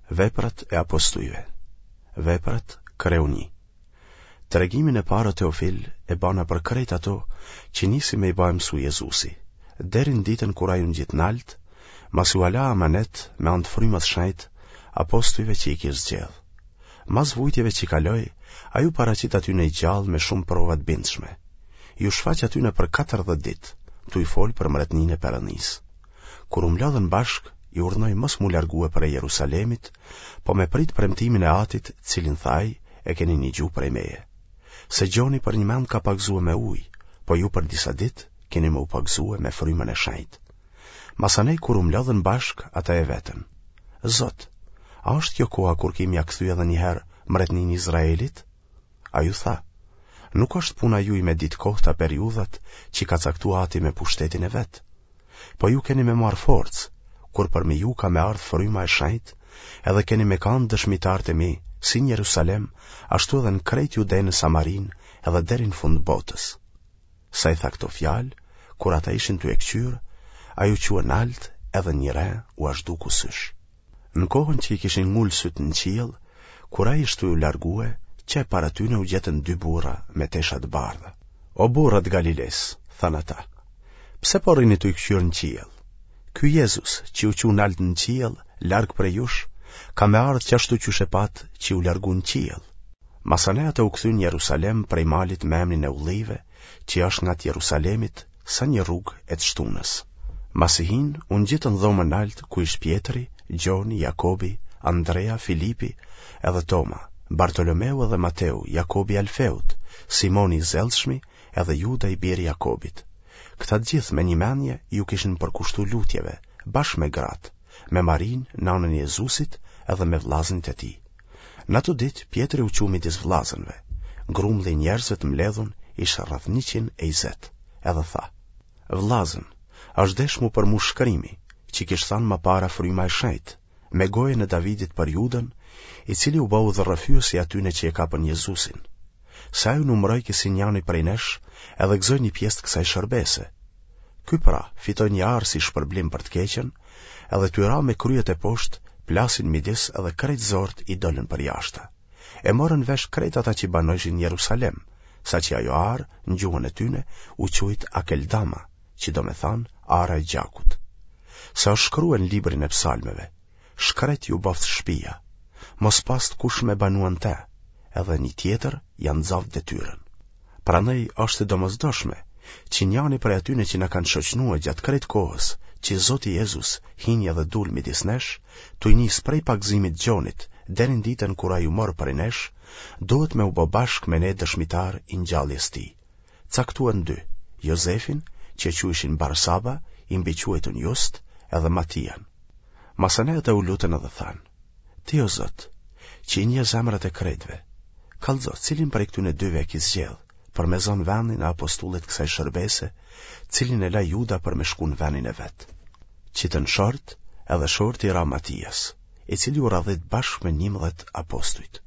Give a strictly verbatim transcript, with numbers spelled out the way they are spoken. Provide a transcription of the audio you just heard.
Veprat e Apostujve. Veprat, kreu një. Tregimin e parë, o Teofil, e bana për krejt ato që nisi me i ba e mësu Jezusi, deri në ditën kur ai u ngjit nalt, masi ua la amanet me anë të Frymës Shenjtë apostujve që i kish zgjedh. Mas vujtjeve që kaloi, ai u paraqit atyne i gjallë me shumë prova të bindshme. Iu shfaq atyne për katërdhjetë ditë, tuj folë për mretninë e Perëndisë. Kur u mblodhën bashkë, i urdhnoi mos m'u largue prej Jerusalemit, po me prit premtimin e Atit, cilin tha ai, e keni nigju prej meje. Se Gjoni përnjëmend ka pagëzue me ujë, po ju për disa ditë keni me u pagëzue me Frymën e Shenjtë. Masanej kur u mblodhën bashkë, ata e vetën: Zot, a është kjo koha kur ki me ia kthy edhe një herë mretninë Izraelit? Ai u tha: Nuk është puna juj me ditë kohët a periudhat që ka caktu Ati me pushtetin e vet. Po ju keni me marrë forcë, kur përmi ju ka me ardhë Fryma e Shenjtë, edhe keni me kanë dëshmitarët e mi, si në Jerusalem, ashtu edhe në krejt Judenë e Samarinë, edhe deri në fund botës. Sa i tha këto fjalë, kur ata ishin tu e këqyrë, ai u çua nalt edhe një re ua zhduku sysh. Në kohën që i kishin ngulë sytë në qiell, kur ai ish tu u largue, qe para tyne u gjetën dy burra me tesha të bardha. O burra të Galilesë, thanë ata, pse po rrini tuj këqyrë në qiell? Ky Jezus, që u çu nalt në qiell, larg prej jush, ka me ardhë qashtu qysh e patë që u largu në qiell. Masanej ata u kthyen në Jerusalem prej malit me emnin e Ullijve, që është ngat Jerusalemit, sa një rrugë e të shtunës. Masi hinë, u ngjitën dhomën nalt ku ish Pjetri, Gjoni, Jakobi, Andrea, Filipi edhe Toma, Bartolomeu edhe Mateu, Jakobi i Alfeut, Simoni i zellshmi edhe Juda i biri Jakobit. Këta të gjithë me një mendje iu kishin përkushtu lutjeve, bashkë me gratë, me Marinë, nanën e Jezusit, edhe me vllaznit e tij. Në ato ditë Pjetri u çu midis vllazënve. Grumbulli i njerëzve të mbledhun ish rreth njëqind e njëzet, edhe tha: Vllazën, është deshtë m'u përmush shkrimi, që kish thanë ma para Fryma e Shenjtë, me gojën e Davidit për Judën, i cili u bë udhërrëfyes i atyne që e kapën Jezusin. Se ai u numërojke si njani prej nesh edhe gëzoi një pjesë të kësaj shërbese. Ky pra, fitoi një arë si shpërblim për të keqen, edhe tuj ra me krye teposhtë, plasi n'midis edhe krejt zorrët i dolën përjashta. E morën vesh krejt ata që banojshin në Jerusalem, saqë ajo arë, në gjuhën e tyne, u quajt Akeldama, që do me thanë ara e gjakut. Se është shkrue në librin e psalmeve: Shkret ju boftë shpia, mos pastë kush me banua në te, edhe një tjetër ja nxaftë detyrën. Prandaj është e domosdoshme që njani prej atyne që na kanë shoqnue gjatë krejt kohës që Zoti Jezus hini edhe dul midis nesh, tuj nis prej pagëzimit Gjonit deri në ditën kur ai u mor prej nesh, duhet me u bë bashkë me ne dëshmitar i ngjalljes tij. Caktuan dy, Jozefin, që e quajshin Barsaba, i mbiquajtun Just, edhe Matian. Masanej ata u lutën edhe thanë: Ti o Zot, që i njeh zemrat e krejtve, kallxo cilin prej këtyne dyve e ki zgjedh, për me zonë vendin e apostullit kësaj shërbese, cilin e la Juda për me shku në vendin e vet. Qitën short, edhe shorti i ra Matias, i cili u radhit bashkë me njëmbëdhjetë apostujt.